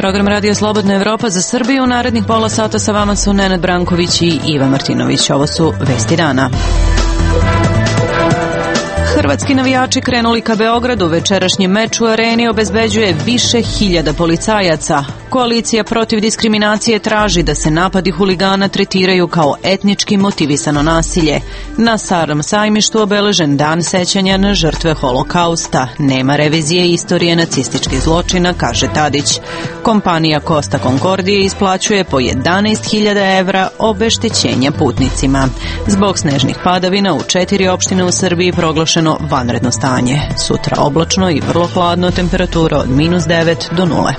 program Radio Slobodna Evropa za Srbiju. U narednih pola sata sa vama su Nenad Branković i Iva Martinović. Ovo su vesti dana. Hrvatski navijači krenuli ka Beogradu. Večerašnji meč u areni obezbeđuje više hiljada policajaca. Koalicija protiv diskriminacije traži da se napadi huligana tretiraju kao etnički motivisano nasilje. Na Starom sajmištu obeležen dan sećanja na žrtve Holokausta. Nema revizije istorije nacističkih zločina, kaže Tadić. Kompanija Costa Concordije isplaćuje po 11.000 evra obeštećenja putnicima. Zbog snežnih padavina u 4 opštine u Srbiji proglašeno vanredno stanje. Sutra oblačno i vrlo hladno, temperatura od -9 do 0.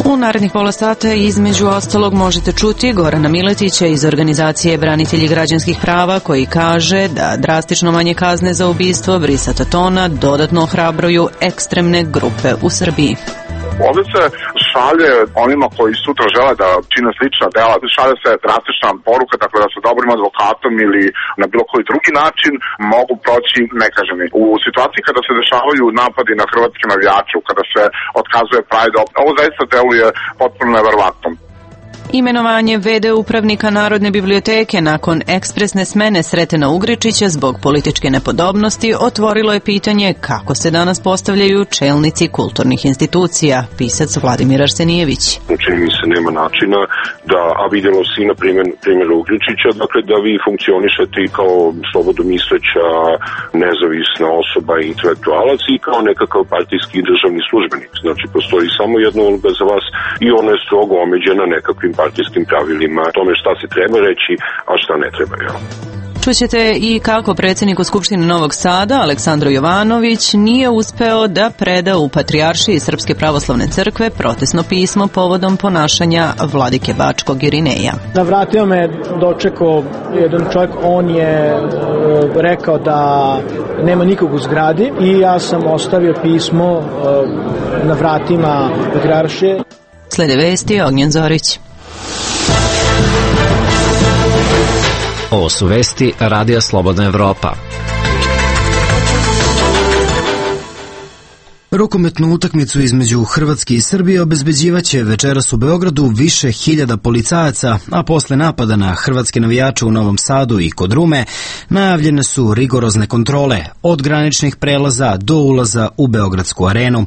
U narednih pola sata između ostalog možete čuti Gorana Miletića iz organizacije Branitelji građanskih prava koji kaže da drastično manje kazne za ubistvo Brisata Tona dodatno ohrabruju ekstremne grupe u Srbiji. Ovdje se šalje onima koji sutra žele da čine slična dela, šalje se drastična poruka, dakle da sa dobrim advokatom ili na bilo koji drugi način mogu proći nekažnjeni. U situaciji kada se dešavaju napadi na hrvatske navijače, kada se otkazuje Pride, ovo zaista deluje potpuno neverovatno. Imenovanje v.d. upravnika Narodne biblioteke nakon ekspresne smene Sretena Ugričića zbog političke nepodobnosti otvorilo je pitanje kako se danas postavljaju čelnici kulturnih institucija, pisac Vladimir Arsenijević. Čini mi se nema načina da, a vidjelo se i na primjeru Ugričića, dakle da vi funkcionišete i kao slobodomisleća, nezavisna osoba i intelektualac i kao nekakav partijski državni službenik. Znači, postoji samo jedna uloga za vas i ona je strogo omeđena nekakvim partijskim pravilima, tome šta se treba reći, a šta ne treba. Čućete i kako predsjednik u Skupštini Novog Sada, Aleksandar Jovanović, nije uspeo da preda u Patrijaršiji Srpske pravoslavne crkve protestno pismo povodom ponašanja vladike Bačkog Irineja. Na vratima me dočekao jedan čovjek, on je rekao da nema nikog u zgradi i ja sam ostavio pismo na vratima Patrijaršije. Slede vesti, Ognjen Zorić. Ovo su vesti Radija Slobodna Evropa. Rukometnu utakmicu između Hrvatske i Srbije obezbeđivaće večeras u Beogradu više hiljada policajaca, a posle napada na hrvatske navijače u Novom Sadu i kod Rume najavljene su rigorozne kontrole od graničnih prelaza do ulaza u Beogradsku arenu.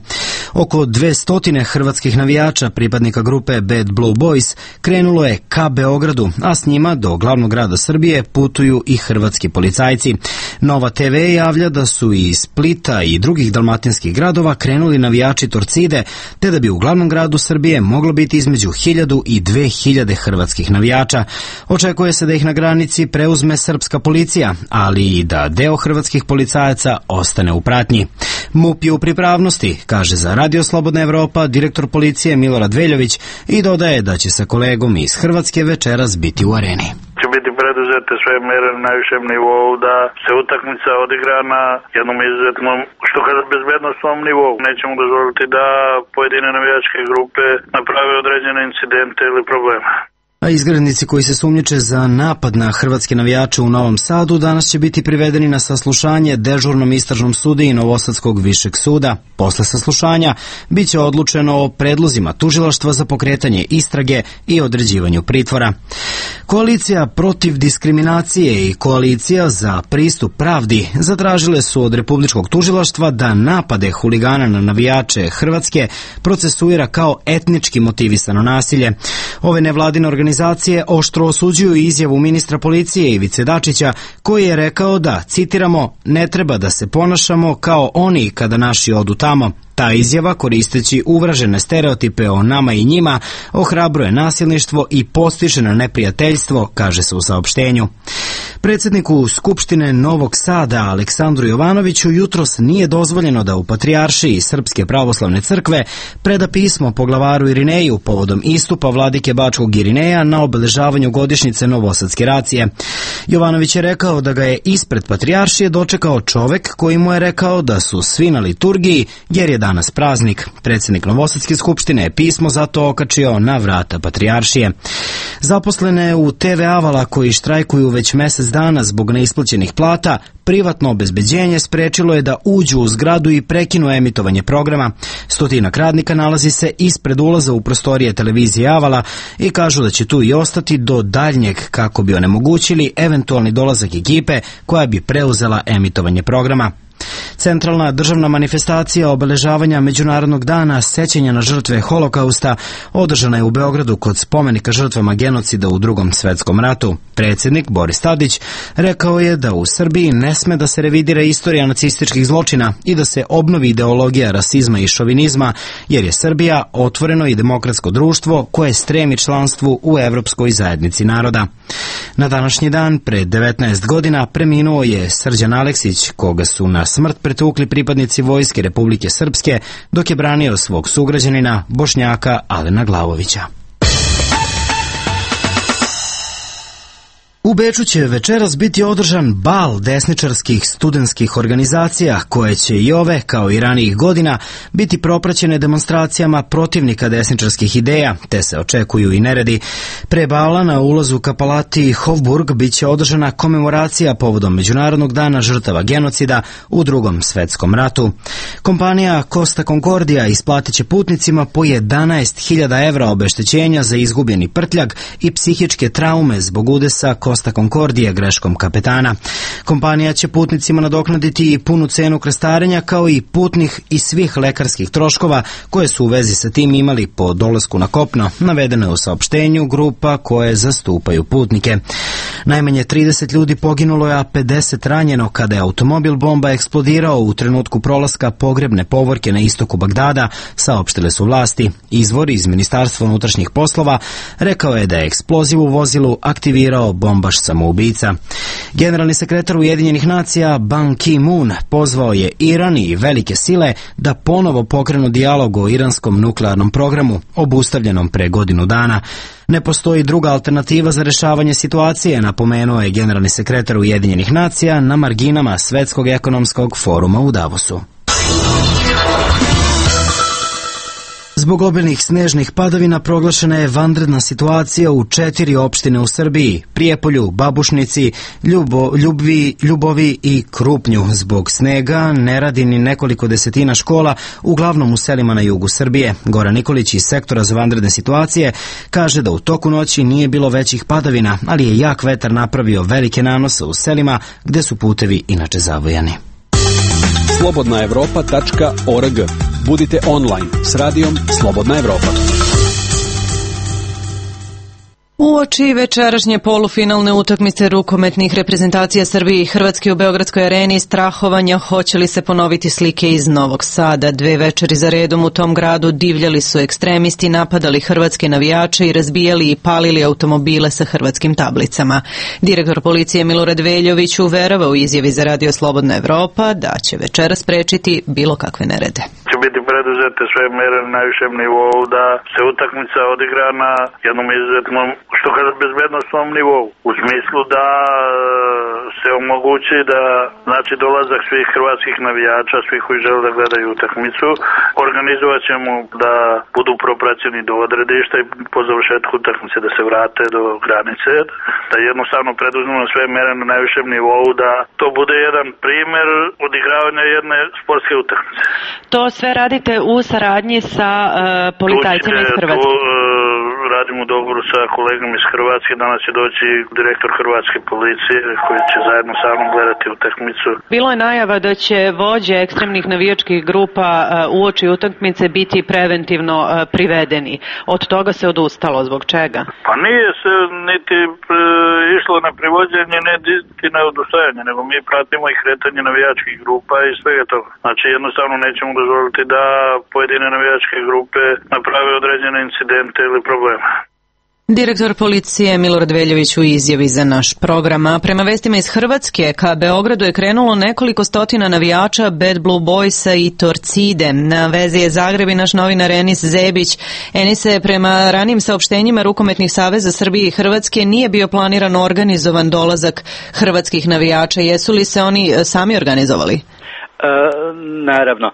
Oko 200 hrvatskih navijača, pripadnika grupe Bad Blue Boys, krenulo je ka Beogradu, a s njima do glavnog grada Srbije putuju i hrvatski policajci. Nova TV javlja da su iz Splita i drugih dalmatinskih gradova krenuli navijači Torcide, te da bi u glavnom gradu Srbije moglo biti između 1000 i 2000 hrvatskih navijača. Očekuje se da ih na granici preuzme srpska policija, ali i da deo hrvatskih policajaca ostane u pratnji. MUP je u pripravnosti, kaže za Radio Slobodna Evropa direktor policije Milorad Veljović i dodaje da će sa kolegom iz Hrvatske večeras biti u areni. Će biti preduzete sve mere na najvišem nivou da se utakmica odigra na jednom izuzetnom, što kada bezbednostnom nivou. Nećemo dozvoliti da pojedine navijačke grupe naprave određene incidente ili probleme. A izgrednici koji se sumnjiče za napad na hrvatske navijače u Novom Sadu danas će biti privedeni na saslušanje dežurnom istražnom sudiji Novosadskog višeg suda. Posle saslušanja biće odlučeno o predlozima tužilaštva za pokretanje istrage i određivanju pritvora. Koalicija protiv diskriminacije i koalicija za pristup pravdi zatražile su od Republičkog tužilaštva da napade huligana na navijače Hrvatske procesuira kao etnički motivisano nasilje. Ove nevladine organizacije oštro osuđuju izjavu ministra policije Ivice Dačića koji je rekao da, citiramo, ne treba da se ponašamo kao oni kada naši odu tamo. Ta izjava, koristeći uvražene stereotipe o nama i njima, ohrabruje nasilništvo i postiže na neprijateljstvo, kaže se u saopštenju. Predsjedniku Skupštine Novog Sada, Aleksandru Jovanoviću, jutros nije dozvoljeno da u Patrijaršiji Srpske pravoslavne crkve preda pismo poglavaru Irineju povodom istupa vladike Bačkog Irineja na obeležavanju godišnjice Novosadske racije. Jovanović je rekao da ga je ispred Patrijaršije dočekao čovek koji mu je rekao da su svi na liturgiji jer je danas praznik. Predsjednik Novosadske skupštine je pismo zato okačio na vrata Patrijaršije. Zaposlene u TV Avala koji štrajkuju već mesec dana zbog neisplaćenih plata, privatno obezbeđenje sprečilo je da uđu u zgradu i prekinu emitovanje programa. Stotinak radnika nalazi se ispred ulaza u prostorije televizije Avala i kažu da će tu i ostati do daljnjeg kako bi onemogućili eventualni dolazak ekipe koja bi preuzela emitovanje programa. Centralna državna manifestacija obeležavanja Međunarodnog dana sećanja na žrtve Holokausta održana je u Beogradu kod spomenika žrtvama genocida u Drugom svetskom ratu. Predsjednik Boris Tadić rekao je da u Srbiji ne sme da se revidira istorija nacističkih zločina i da se obnovi ideologija rasizma i šovinizma, jer je Srbija otvoreno i demokratsko društvo koje stremi članstvu u Evropskoj zajednici naroda. Na današnji dan, pre 19 godina, preminuo je Srđan Aleksić, koga su na smrt pretukli pripadnici Vojske Republike Srpske dok je branio svog sugrađanina, Bošnjaka Alena Glavovića. U Beču će večeras biti održan bal desničarskih studentskih organizacija koje će i ove, kao i ranijih godina, biti propraćene demonstracijama protivnika desničarskih ideja, te se očekuju i neredi. Pre bala na ulazu ka palati Hofburg biće održana komemoracija povodom Međunarodnog dana žrtava genocida u Drugom svetskom ratu. Kompanija Costa Concordia isplatit će putnicima po 11.000 evra obeštećenja za izgubljeni prtljag i psihičke traume zbog udesa Costa Concordia greškom kapetana. Kompanija će putnicima nadoknaditi i punu cenu krestarenja kao i putnih i svih lekarskih troškova koje su u vezi sa tim imali po dolasku na kopno, navedeno je u saopštenju grupa koje zastupaju putnike. Najmanje 30 ljudi poginulo je, a 50 ranjeno kada je automobil bomba eksplodirao u trenutku prolaska pogrebne povorke na istoku Bagdada, saopštile su vlasti. Izvor iz Ministarstva unutrašnjih poslova rekao je da je eksploziv u vozilu aktivirao bombaš samoubica. Generalni sekretar Ujedinjenih nacija Ban Ki-moon pozvao je Iran i velike sile da ponovo pokrenu dijalog o iranskom nuklearnom programu, obustavljenom pre godinu dana. Ne postoji druga alternativa za rešavanje situacije, napomenuo je generalni sekretar Ujedinjenih nacija na marginama Svetskog ekonomskog foruma u Davosu. Zbog obilnih snežnih padavina proglašena je vanredna situacija u 4 opštine u Srbiji: Prijepolju, Babušnici, Ljubovi i Krupnju. Zbog snega ne radi ni nekoliko desetina škola, uglavnom u selima na jugu Srbije. Goran Nikolić iz sektora za vanredne situacije kaže da u toku noći nije bilo većih padavina, ali je jak vetar napravio velike nanose u selima gde su putevi inače zavojani. Slobodnaevropa.org. Budite online s radijom Slobodna Evropa. Uoči večerašnje polufinalne utakmice rukometnih reprezentacija Srbije i Hrvatske u Beogradskoj areni strahovanja hoće li se ponoviti slike iz Novog Sada. 2 večeri za redom u tom gradu divljali su ekstremisti, napadali hrvatske navijače i razbijali i palili automobile sa hrvatskim tablicama. Direktor policije Milorad Veljović uverava u izjavi za radio Slobodna Evropa da će večeras sprečiti bilo kakve nerede. Će biti preduzete sve mere na najvišem nivou da se utakmica odigra na jednom izuzetnom, što kada bezbednostnom nivou, u smislu da se omogući da, znači, dolazak svih hrvatskih navijača, svih koji žele da gledaju utakmicu. Organizovat ćemo da budu propraćeni do odredišta i po završetku utakmice da se vrate do granice, da jednostavno preduzmemo sve mere na najvišem nivou, da to bude jedan primer odigravanja jedne sportske utakmice. To sve radite u saradnji sa policajcima iz Hrvatske? Radimo u dogovoru sa kolegom iz Hrvatske. Danas će doći direktor hrvatske policije koji će zajedno sa mnom gledati utakmicu. Bilo je najava da će vođe ekstremnih navijačkih grupa uoči utakmice biti preventivno privedeni. Od toga se odustalo. Zbog čega? Pa nije se niti išlo na privođenje, niti na odustajanje, nego mi pratimo i kretanje navijačkih grupa i svega toga. Znači jednostavno nećemo dozvoliti da pojedine navijačke grupe naprave određene incidente ili probleme. Direktor policije Milorad Veljović u izjavi za naš program. A prema vestima iz Hrvatske, ka Beogradu je krenulo nekoliko stotina navijača Bad Blue Boysa i Torcide. Na vezi je Zagreb i naš novinar Enis Zebić. Enise, prema ranijim saopštenjima Rukometnih saveza Srbije i Hrvatske nije bio planiran organizovan dolazak hrvatskih navijača. Jesu li se oni sami organizovali? Naravno.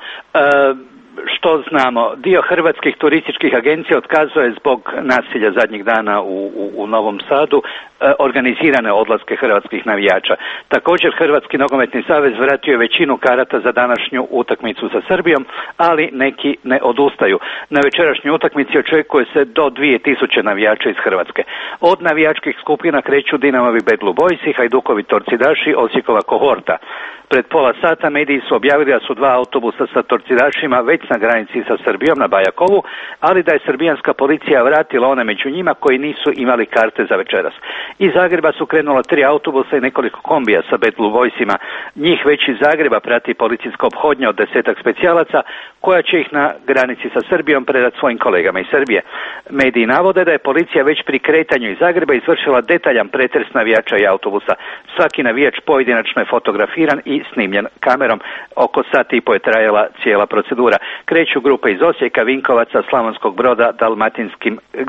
što znamo, dio hrvatskih turističkih agencija otkazuje zbog nasilja zadnjih dana u Novom Sadu organizirane odlaske hrvatskih navijača. Također Hrvatski nogometni savez vratio je većinu karata za današnju utakmicu sa Srbijom, ali neki ne odustaju. Na večerašnjoj utakmici očekuje se do 2000 navijača iz Hrvatske. Od navijačkih skupina kreću Dinamovi Bad Blue Boysi, Hajdukovi Torcidaši, Osijekova kohorta. Pred pola sata mediji su objavili da su 2 autobusa sa torcidašima već na granici sa Srbijom na Bajakovu, ali da je srbijanska policija vratila one među njima koji nisu imali karte za večeras. Iz Zagreba su krenula 3 autobusa i nekoliko kombija sa Bad Blue Boysima. Njih već iz Zagreba prati policijska ophodnja od 10 specijalaca koja će ih na granici sa Srbijom predati svojim kolegama iz Srbije. Mediji navode da je policija već pri kretanju iz Zagreba izvršila detaljan pretres navijača i autobusa. Svaki navijač pojedinačno je fotografiran i snimljen kamerom. Oko sat i po je trajala cijela procedura. Kreću grupe iz Osijeka, Vinkovaca, Slavonskog Broda,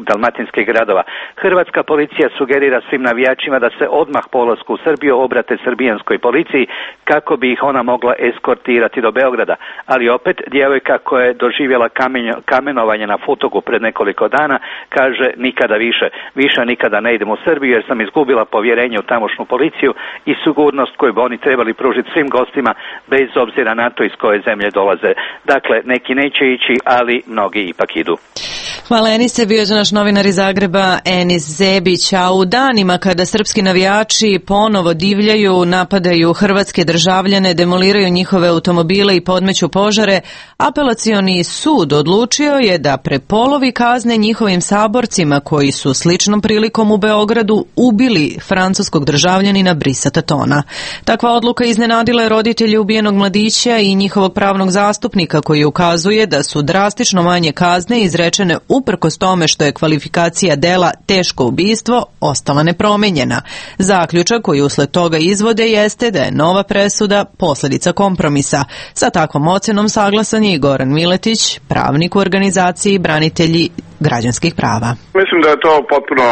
dalmatinskih gradova. Hrvatska policija sugerira svim navijačima da se odmah po ulasku u Srbiju obrate srbijanskoj policiji kako bi ih ona mogla eskortirati do Beograda. Ali opet, djevojka koja je doživjela kamenovanje na Futogu pred nekoliko dana kaže nikada više. Više nikada ne idem u Srbiju jer sam izgubila povjerenje u tamošnju policiju i sigurnost koju bi oni trebali pružiti svim gostima bez obzira na to iz koje zemlje dolaze. Dakle, neki neće ići, ali mnogi ipak idu. Hvala Enise, bio je naš novinar iz Zagreba Enis Zebić, a u danima kada srpski navijači ponovo divljaju, napadaju hrvatske državljane, demoliraju njihove automobile i podmeću požare, apelacioni sud odlučio je da prepolovi kazne njihovim saborcima koji su sličnom prilikom u Beogradu ubili francuskog državljanina Brisa Tatona. Takva odluka iznenadila je roditelje ubijenog mladića i njihovog pravnog zastupnika koji ukazuje da su drastično manje kazne izrečene uprkos tome što je kvalifikacija dela teško ubistvo ostala nepromenjena. Zaključak koji usled toga izvode jeste da je nova presuda posljedica kompromisa. Sa takvom ocenom saglasan je i Goran Miletić, pravnik u organizaciji Branitelji građanskih prava. Mislim da je to potpuno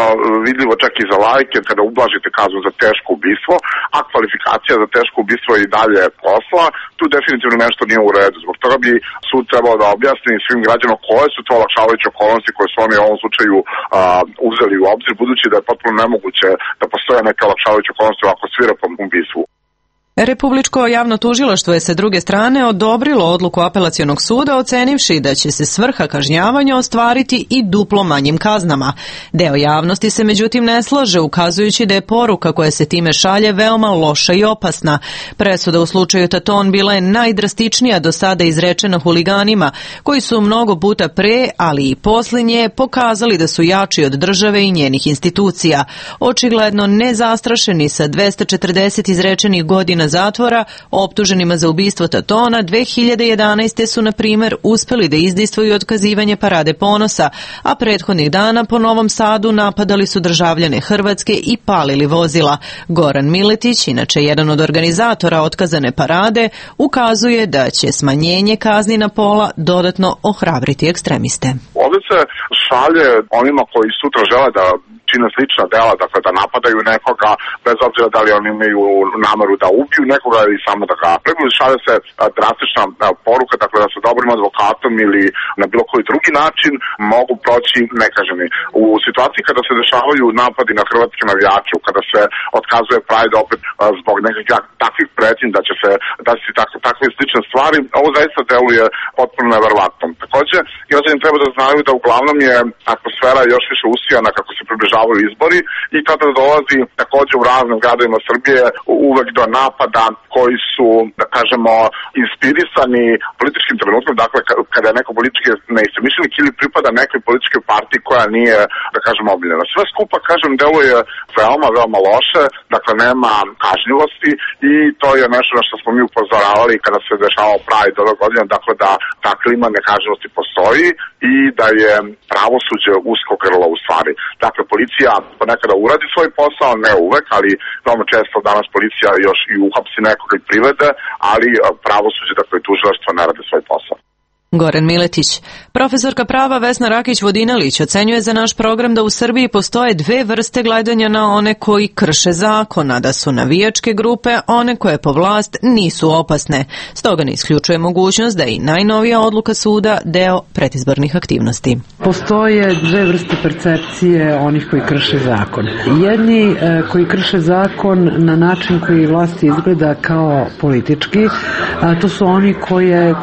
vidljivo čak i za laike kada ublažite kaznu za teško ubistvo, a kvalifikacija za teško ubistvo je i dalje posla, tu definitivno nešto nije u redu. Zbog toga bi sud trebao da objasni svim građanima koje su to olakšavajuće okolnosti koje su oni u ovom slučaju uzeli u obzir, budući da je potpuno nemoguće da postoje neke olakšavajuće okolnosti ovako svirepom ubistvu. Republičko javno tužilaštvo je sa druge strane odobrilo odluku apelacionog suda ocenivši da će se svrha kažnjavanja ostvariti i duplo manjim kaznama. Deo javnosti se međutim ne slaže, ukazujući da je poruka koja se time šalje veoma loša i opasna. Presuda u slučaju Taton bila je najdrastičnija do sada izrečena huliganima, koji su mnogo puta pre, ali i poslije pokazali da su jači od države i njenih institucija. Očigledno nezastrašeni sa 240 izrečenih godina zatvora, optuženima za ubistvo Tatona 2011. su, na primjer, uspjeli da izdejstvuju otkazivanje parade ponosa, a prethodnih dana po Novom Sadu napadali su državljane Hrvatske i palili vozila. Goran Miletić, inače jedan od organizatora otkazane parade, ukazuje da će smanjenje kazni na pola dodatno ohrabriti ekstremiste. Ovdje se šalje onima koji sutra žele da čine slična dela, dakle da napadaju nekoga, bez obzira da li oni imaju nameru da ubiju nekoga ili samo da ga prebiju, šalje se drastična poruka, dakle da sa dobrim advokatom ili na bilo koji drugi način mogu proći nekažnjeni. U situaciji kada se dešavaju napadi na hrvatske navijače, kada se otkazuje Pride opet zbog nekih takvih pretnji da će se desiti takve slične stvari, ovo zaista deluje potpuno neverovatno. Takođe, građani treba da znaju da uglavnom je atmosfera još više usijana kako se približavaju izbori i kada dolazi takođe u raznim gradovima Srbije uvek do napada koji su, da kažemo, inspirisani političkim trenutkom, dakle kada je neko politički neistomišljenik ili pripada nekoj političkoj partiji koja nije, da kažemo, omiljena. Sve skupa, kažem, deluje veoma, veoma loše, dakle nema kažnjivosti i to je nešto na što smo mi upozoravali kada se dešavao Pride ove godine, dakle da ta klima nekažnjivosti postoji i da je pravosuđe usko grlo u stvari. Dakle, policija ponekada uradi svoj posao, ne uvek, ali veoma često danas policija još i uhapsi nekoga i privede, ali pravosuđe, dakle, tužilaštvo ne rade svoj posao. Goran Miletić. Profesorka prava Vesna Rakić-Vodinelić ocenjuje za naš program da u Srbiji postoje dve vrste gledanja na one koji krše zakon, a da su navijačke grupe one koje po vlast nisu opasne. Stoga ne isključuje mogućnost da je i najnovija odluka suda deo predizbornih aktivnosti. Postoje dve vrste percepcije onih koji krše zakon. Jedni koji krše zakon na način koji vlasti izgleda kao politički, to su oni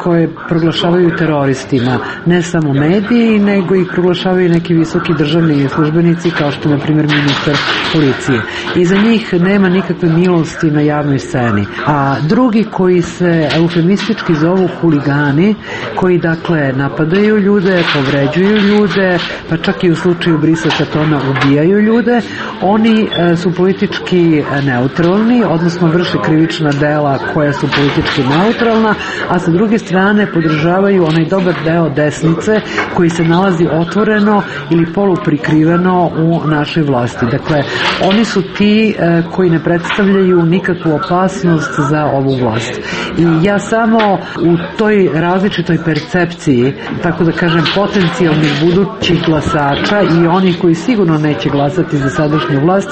koje proglašavaju teroristima, ne samo mediji, nego i proglašavaju neki visoki državni službenici kao što je, na primjer, ministar policije. I za njih nema nikakve milosti na javnoj sceni. A drugi koji se eufemistički zovu huligani, koji dakle napadaju ljude, povređuju ljude, pa čak i u slučaju Brisa Katona ubijaju ljude, oni su politički neutralni, odnosno vrše krivična dela koja su politički neutralna, a sa druge strane podržavaju onaj dobar deo desnice koji se nalazi otvoreno ili poluprikriveno u našoj vlasti. Dakle, oni su ti koji ne predstavljaju nikakvu opasnost za ovu vlast. I ja samo u toj različitoj percepciji, tako da kažem, potencijalnih budućih glasača i onih koji sigurno neće glasati za sadašnju vlast,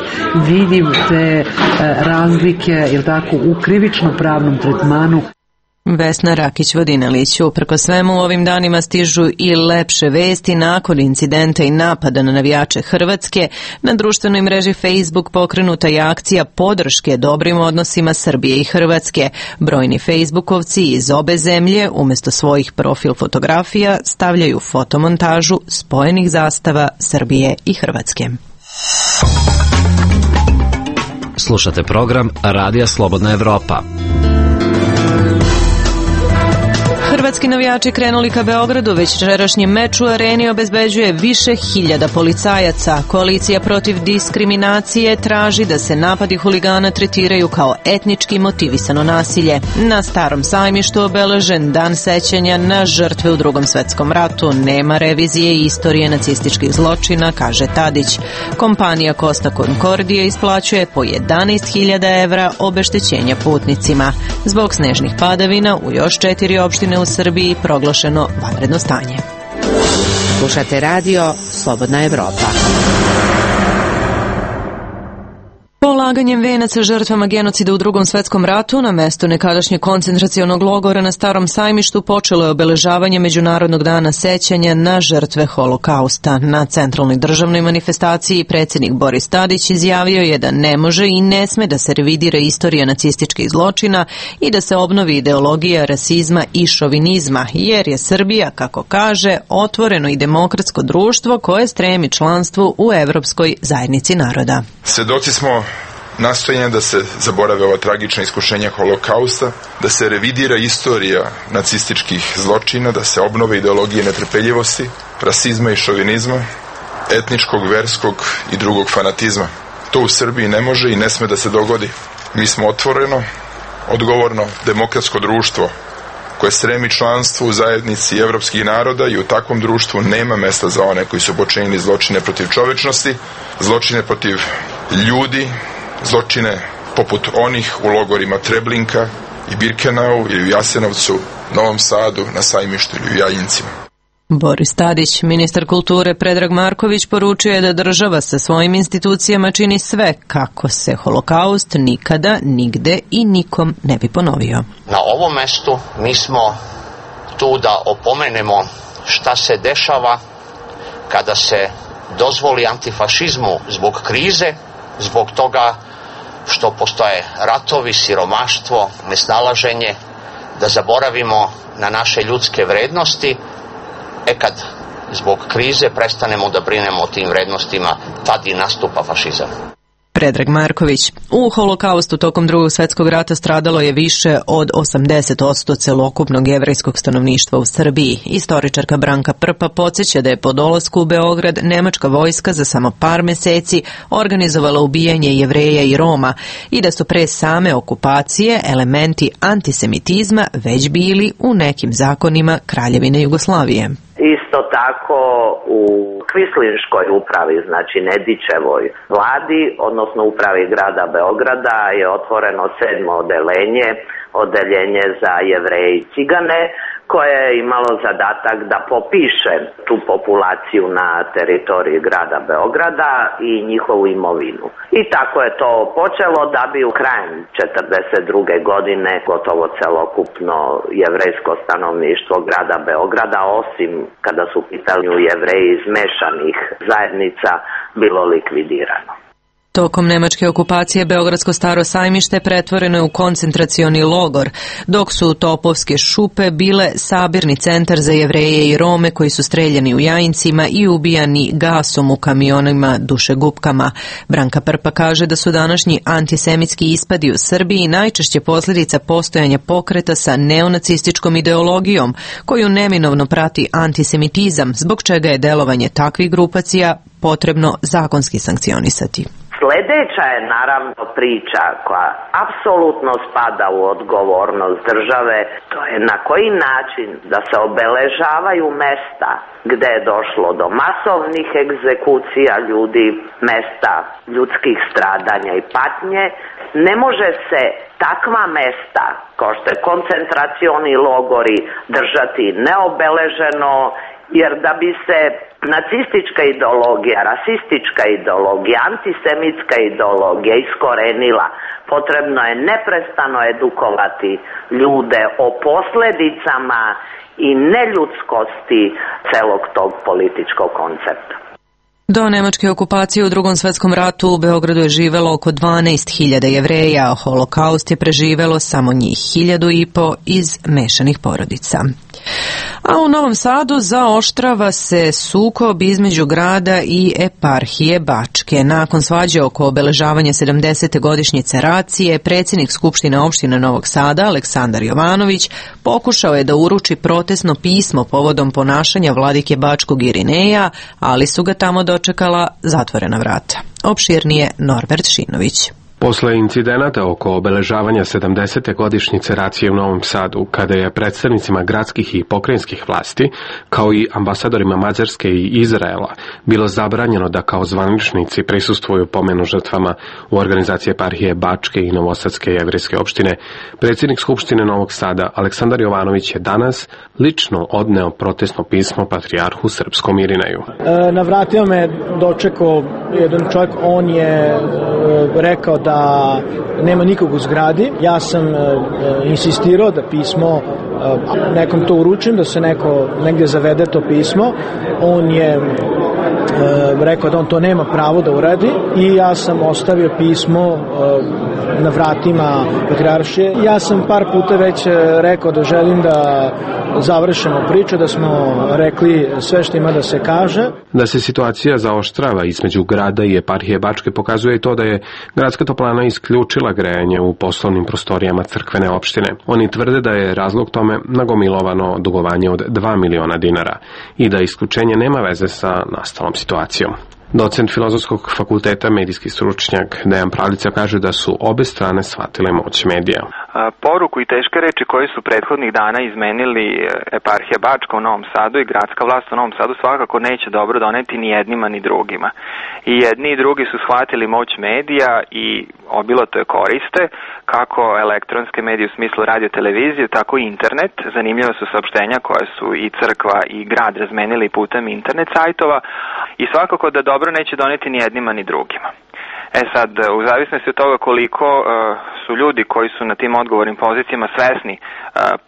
vidim te razlike, jel tako, u krivično-pravnom tretmanu. Vesna Rakić-Vodinelić. Uprko svemu u ovim danima stižu i lepše vesti. Nakon incidenta i napada na navijače Hrvatske, na društvenoj mreži Facebook pokrenuta je akcija podrške dobrim odnosima Srbije i Hrvatske. Brojni Facebookovci iz obe zemlje umjesto svojih profil fotografija stavljaju fotomontažu spojenih zastava Srbije i Hrvatske. Slušate program Radija Slobodna Evropa. Hrvatski navijači krenuli ka Beogradu, večerašnji meč u areni obezbeđuje više hiljada policajaca. Koalicija protiv diskriminacije traži da se napadi huligana tretiraju kao etnički motivisano nasilje. Na Starom sajmištu obeležen dan sećanja na žrtve u Drugom svetskom ratu. Nema revizije istorije nacističkih zločina, kaže Tadić. Kompanija Costa Concordia isplaćuje po 11.000 evra obeštećenja putnicima. Zbog snežnih padavina u još 4 opštine u Srbiji proglašeno vanredno stanje. Slušate radio Slobodna Evropa. Polaganjem venaca žrtvama genocida u Drugom svetskom ratu na mestu nekadašnjeg koncentracionog logora na Starom sajmištu počelo je obeležavanje Međunarodnog dana sećanja na žrtve Holokausta. Na centralnoj državnoj manifestaciji predsjednik Boris Tadić izjavio je da ne može i ne sme da se revidira istorija nacističkih zločina i da se obnovi ideologija rasizma i šovinizma, jer je Srbija, kako kaže, otvoreno i demokratsko društvo koje stremi članstvu u Evropskoj zajednici naroda. Svedoci smo nastojanja da se zaborave ova tragična iskušenja Holokausta, da se revidira istorija nacističkih zločina, da se obnove ideologije netrpeljivosti, rasizma i šovinizma, etničkog, verskog i drugog fanatizma. To u Srbiji ne može i ne sme da se dogodi. Mi smo otvoreno, odgovorno, demokratsko društvo koje stremi članstvu u zajednici evropskih naroda i u takvom društvu nema mesta za one koji su počinili zločine protiv čovečnosti, zločine protiv ljudi, zločine poput onih u logorima Treblinka i Birkenau ili u Jasenovcu, Novom Sadu, na Sajmištu ili u Jajinцima. Boris Tadić, ministar kulture Predrag Marković, poručio je da država sa svojim institucijama čini sve kako se Holokaust nikada, nigde i nikom ne bi ponovio. Na ovom mestu mi smo tu da opomenemo šta se dešava kada se dozvoli antifašizmu zbog krize, zbog toga što postoje ratovi, siromaštvo, nesnalaženje, da zaboravimo na naše ljudske vrednosti. Kad zbog krize prestanemo da brinemo o tim vrednostima, tad i nastupa fašizam. Predrag Marković. U Holokaustu tokom Drugog svjetskog rata stradalo je više od 80% celokupnog jevrejskog stanovništva u Srbiji. Istoričarka Branka Prpa podsjeća da je po dolasku u Beograd nemačka vojska za samo par meseci organizovala ubijanje Jevreja i Roma i da su pre same okupacije elementi antisemitizma već bili u nekim zakonima Kraljevine Jugoslavije. Isto tako u Kvislinškoj upravi, znači Nedićevoj vladi, odnosno upravi grada Beograda, je otvoreno 7. odeljenje za Jevreje i Cigane, koje je imalo zadatak da popiše tu populaciju na teritoriji grada Beograda i njihovu imovinu. I tako je to počelo da bi u krajem 1942. godine gotovo celokupno jevrejsko stanovništvo grada Beograda, osim kada su u pitanju Jevreji iz mešanih zajednica, bilo likvidirano. Tokom nemačke okupacije Beogradsko staro sajmište pretvoreno je u koncentracioni logor, dok su Topovske šupe bile sabirni centar za Jevreje i Rome koji su streljani u Jajincima i ubijani gasom u kamionima dušegupkama. Branka Prpa kaže da su današnji antisemitski ispadi u Srbiji najčešće posljedica postojanja pokreta sa neonacističkom ideologijom, koju neminovno prati antisemitizam, zbog čega je delovanje takvih grupacija potrebno zakonski sankcionisati. Sljedeća je naravno priča koja apsolutno spada u odgovornost države, to je na koji način da se obeležavaju mesta gdje je došlo do masovnih egzekucija ljudi, mesta ljudskih stradanja i patnje. Ne može se takva mesta, kao što je koncentracioni logori, držati neobeleženo, jer da bi se nacistička ideologija, rasistička ideologija, antisemitska ideologija iskorenila, potrebno je neprestano edukovati ljude o posljedicama i neljudskosti celog tog političkog koncepta. Do nemačke okupacije u Drugom svjetskom ratu u Beogradu je živelo oko 12.000 Jevreja, a holokaust je preživelo samo njih 1.500 iz mešanih porodica. A u Novom Sadu zaoštrava se sukob između grada i eparhije Bačke. Nakon svađe oko obeležavanja 70. godišnjice racije, predsjednik Skupštine opštine Novog Sada, Aleksandar Jovanović, pokušao je da uruči protestno pismo povodom ponašanja vladike Bačkog Irineja, ali su ga tamo dočekala zatvorena vrata. Opširnije Norbert Šinović. Posle incidenata oko obeležavanja 70. godišnjice racije u Novom Sadu, kada je predstavnicima gradskih i pokrajinskih vlasti, kao i ambasadorima Mađarske i Izraela, bilo zabranjeno da kao zvaničnici prisustvuju pomenu žrtvama u organizaciji eparhije Bačke i Novosadske jevrejske opštine, predsjednik Skupštine Novog Sada, Aleksandar Jovanović, je danas lično odneo protestno pismo patrijarhu srpskom Irineju. Na vratima me dočekao jedan čovjek, on je rekao da nema nikog u zgradi. Ja sam insistirao da pismo nekom to uručim, da se neko negdje zavede to pismo. On je rekao da on to nema pravo da uradi i ja sam ostavio pismo na vratima patrijaršije. Ja sam par puta već rekao da želim da završimo priču, da smo rekli sve što ima da se kaže. Da se situacija zaoštrava između grada i eparhije Bačke pokazuje i to da je gradska toplana isključila grejanje u poslovnim prostorijama crkvene opštine. Oni tvrde da je razlog tome nagomilovano dugovanje od 2 miliona dinara i da isključenje nema veze sa nastalom situacijom. Docent Filozofskog fakulteta, medijski stručnjak Dejan Pravljica kaže da su obe strane shvatile moć medija. Poruku i teške reči koje su prethodnih dana izmenili eparhija Bačka u Novom Sadu i gradska vlast u Novom Sadu svakako neće dobro doneti ni jednima ni drugima. I jedni i drugi su shvatili moć medija i obilato je koriste, kako elektronske medije u smislu radio televizije, tako i internet. Zanimljiva su saopštenja koje su i crkva i grad razmenili putem internet sajtova i svakako da dobro neće doneti ni jednima ni drugima. Sad, u zavisnosti od toga koliko su ljudi koji su na tim odgovornim pozicijama svesni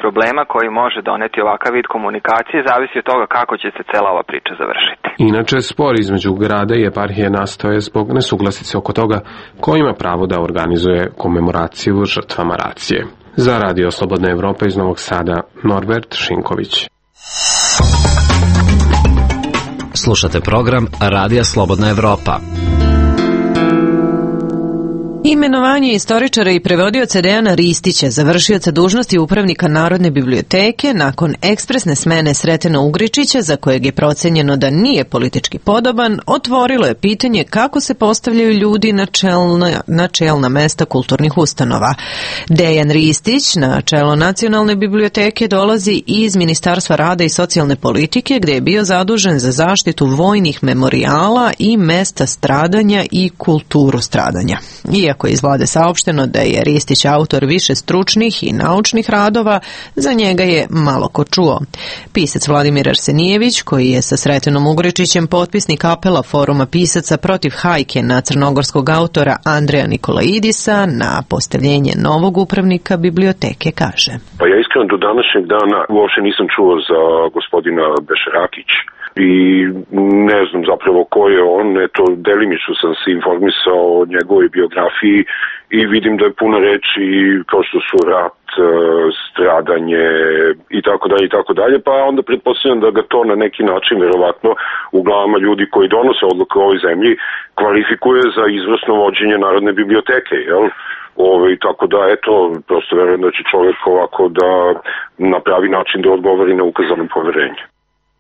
problema koji može doneti ovakav vid komunikacije, zavisi od toga kako će se cela ova priča završiti. Inače, spor između grada i eparhije nastao je zbog nesuglasice oko toga ko ima pravo da organizuje komemoraciju žrtvama racije. Za Radio Slobodna Evropa iz Novog Sada, Norbert Šinković. Slušate program Radija Slobodna Evropa. Imenovanje istoričara i prevodioca Dejana Ristića, završioca dužnosti upravnika Narodne biblioteke, nakon ekspresne smene Sretena Ugričića, za kojeg je procenjeno da nije politički podoban, otvorilo je pitanje kako se postavljaju ljudi na čelna mesta kulturnih ustanova. Dejan Ristić na čelo Nacionalne biblioteke dolazi iz Ministarstva rada i socijalne politike, gdje je bio zadužen za zaštitu vojnih memorijala i mesta stradanja i kulturu stradanja. Iako je iz vlade saopšteno da je Ristić autor više stručnih i naučnih radova, za njega je malo ko čuo. Pisac Vladimir Arsenijević, koji je sa Sretenom Ugričićem potpisnik apela Foruma pisaca protiv hajke na crnogorskog autora Andreja Nikolaidisa na postavljenje novog upravnika biblioteke, kaže. Pa ja iskreno do današnjeg dana uopšte nisam čuo za gospodina Bešarakić i ne znam zapravo ko je on, eto delimično sam se informisao o njegovoj biografiji i vidim da je puno reči kao što su rat, stradanje i tako dalje, pa onda pretpostavljam da ga to na neki način verovatno u glavama ljudi koji donose odluke u ovoj zemlji kvalifikuje za izvrsno vođenje Narodne biblioteke, jel? Tako da, eto, prosto verujem da će čovjek ovako da na pravi način da odgovori na ukazano poverenje.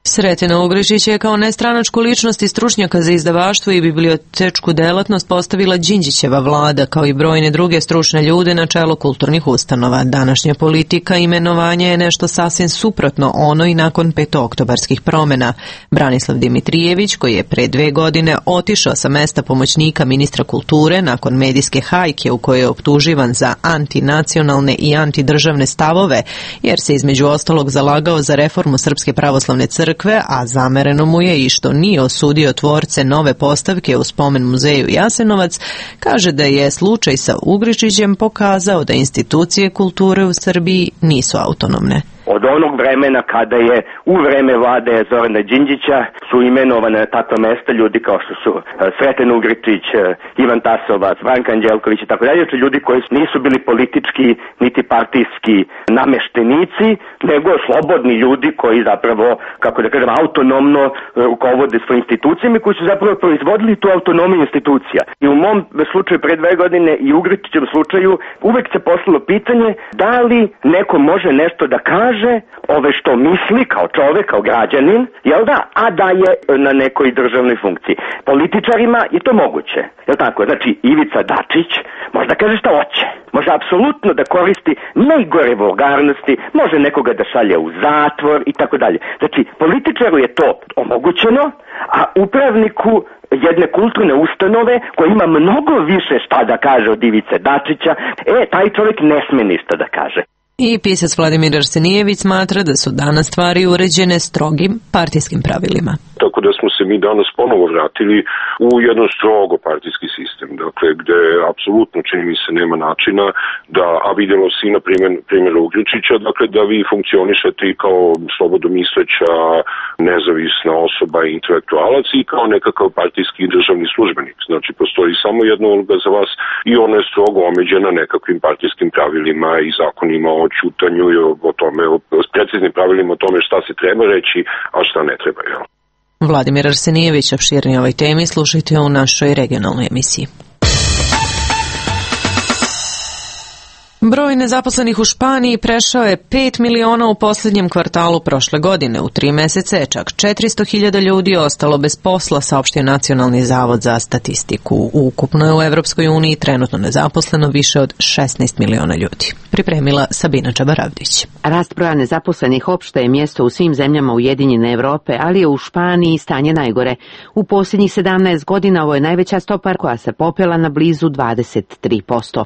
Sretina Ugričić je kao nestranačku ličnost i stručnjaka za izdavaštvo i bibliotečku delatnost postavila Đinđićeva vlada, kao i brojne druge stručne ljude na čelo kulturnih ustanova. Današnja politika imenovanja je nešto sasvim suprotno onoj nakon petooktobarskih promjena. Branislav Dimitrijević, koji je pre 2 godine otišao sa mesta pomoćnika ministra kulture nakon medijske hajke u kojoj je optuživan za antinacionalne i antidržavne stavove, jer se između ostalog zalagao za reformu Srpske pravoslavne crkve, a zamereno mu je i što nije osudio tvorce nove postavke u spomen muzeju Jasenovac, kaže da je slučaj sa Ugričićem pokazao da institucije kulture u Srbiji nisu autonomne. Od onog vremena kada je u vreme vlade Zorana Đinđića su imenovane na takva mesta ljudi kao što su Sreten Ugričić, Ivan Tasovac, Branka Anđelković i tako dalje, ljudi koji nisu bili politički niti partijski nameštenici, nego slobodni ljudi koji zapravo, kako da kažem, autonomno rukovode svojim institucijama i koji su zapravo proizvodili tu autonomiju institucija. I u mom slučaju pre 2 godine i Ugričićevom slučaju uvek se poslalo pitanje da li neko može nešto da kaže što misli kao čovek, kao građanin, jel da, a da je na nekoj državnoj funkciji. Političarima je to moguće, jel tako? Znači, Ivica Dačić može da kaže šta hoće, može apsolutno da koristi najgore vulgarnosti, može nekoga da šalje u zatvor i tako dalje. Znači, političaru je to omogućeno, a upravniku jedne kulturne ustanove koja ima mnogo više šta da kaže od Ivice Dačića, taj čovjek ne sme ništa da kaže. I pisac Vladimir Arsenijević smatra da su danas stvari uređene strogim partijskim pravilima. Tako da smo se mi danas ponovo vratili u jedan strogo partijski sistem, dakle gde apsolutno čini mi se nema načina da, a vidjelo se i na primjeru Ugričića, dakle da vi funkcionišete i kao slobodomisleća, nezavisna osoba i intelektualac i kao nekakav partijski državni službenik. Znači postoji samo jedna uloga za vas i ona je strogo omeđena nekakvim partijskim pravilima i zakonima o ćutanju i o tome, o preciznim pravilima o tome šta se treba reći, a šta ne treba, jel? Vladimir Arsenijević, opširnije o ovoj temi slušajte u našoj regionalnoj emisiji. Broj nezaposlenih u Španiji prešao je 5 miliona u posljednjem kvartalu prošle godine. U 3 meseca je čak 400.000 ljudi ostalo bez posla, saopštio Nacionalni zavod za statistiku. Ukupno je u Evropskoj uniji trenutno nezaposleno više od 16 miliona ljudi. Pripremila Sabina Čabaravdić. Rast broja nezaposlenih opšte je mjesto u svim zemljama Ujedinjene Evrope, ali je u Španiji stanje najgore. U posljednjih 17 godina ovo je najveća stopa koja se popela na blizu 23%.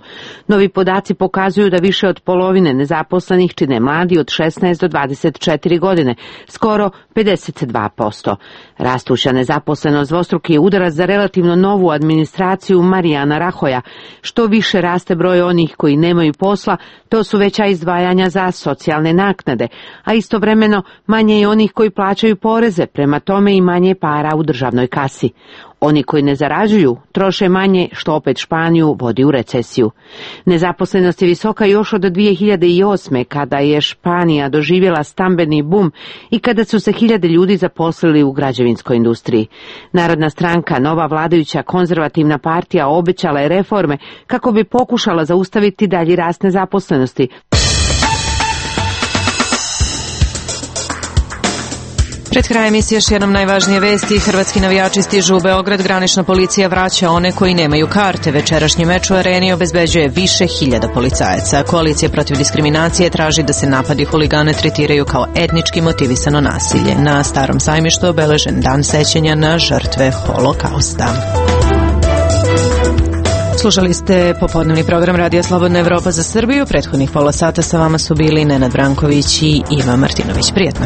Novi podaci pokazuju da više od polovine nezaposlenih čine mladi od 16 do 24 godine, skoro 52%. Rastuća nezaposlenost dvostruki je udarac za relativno novu administraciju Marijana Rahoja. Što više raste broj onih koji nemaju posla, to su veća izdvajanja za socijalne naknade, a istovremeno manje i onih koji plaćaju poreze, prema tome i manje para u državnoj kasi. Oni koji ne zarađuju troše manje, što opet Španiju vodi u recesiju. Nezaposlenost je visoka još od 2008. kada je Španija doživjela stambeni bum i kada su se 1000 ljudi zaposlili u građevinskoj industriji. Narodna stranka, nova vladajuća konzervativna partija, obećala je reforme kako bi pokušala zaustaviti dalji rast nezaposlenosti. Pred krajem emisije još jednom najvažnije vesti. Hrvatski navijači stižu u Beograd, granična policija vraća one koji nemaju karte. Večerašnji meč u Areni obezbeđuje više hiljada policajaca. Koalicija protiv diskriminacije traži da se napadi huligana tretiraju kao etnički motivisano nasilje. Na Starom sajmištu obeležen dan sećanja na žrtve Holokausta. Slušali ste popodnevni program Radija Slobodna Evropa za Srbiju. Prethodnih pola sata sa vama su bili Nenad Branković i Iva Martinović. Prijetno.